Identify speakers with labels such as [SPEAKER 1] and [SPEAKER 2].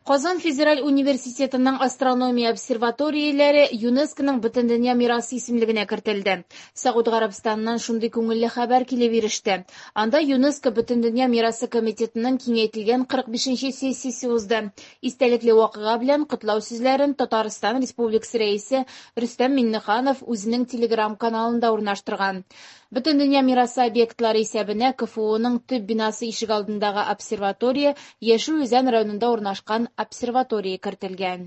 [SPEAKER 1] Казан федераль университетының астрономия обсерваторияләре ЮНЕСКОның Бөтендөнья мирасы исемлегенә кертелде. Согуд Гарәбстаныннан шундый күңелле хәбәр килеп иреште. Анда ЮНЕСКО Бөтендөнья мирасы комитетының киңәйтелгән 45 нче сессиясе узды. Истәлекле вакыйга белән котлау сүзләрен Татарстан Республикасы Рәисе Рөстәм Миңнеханов үзенең Telegram-каналында урнаштырган. Бөтендөнья мирасы объектлары исәбенә КФУның төп бинасы ишегалдындагы обсерватория, Яшел Үзән районында урнашкан обсерватория кертелгән.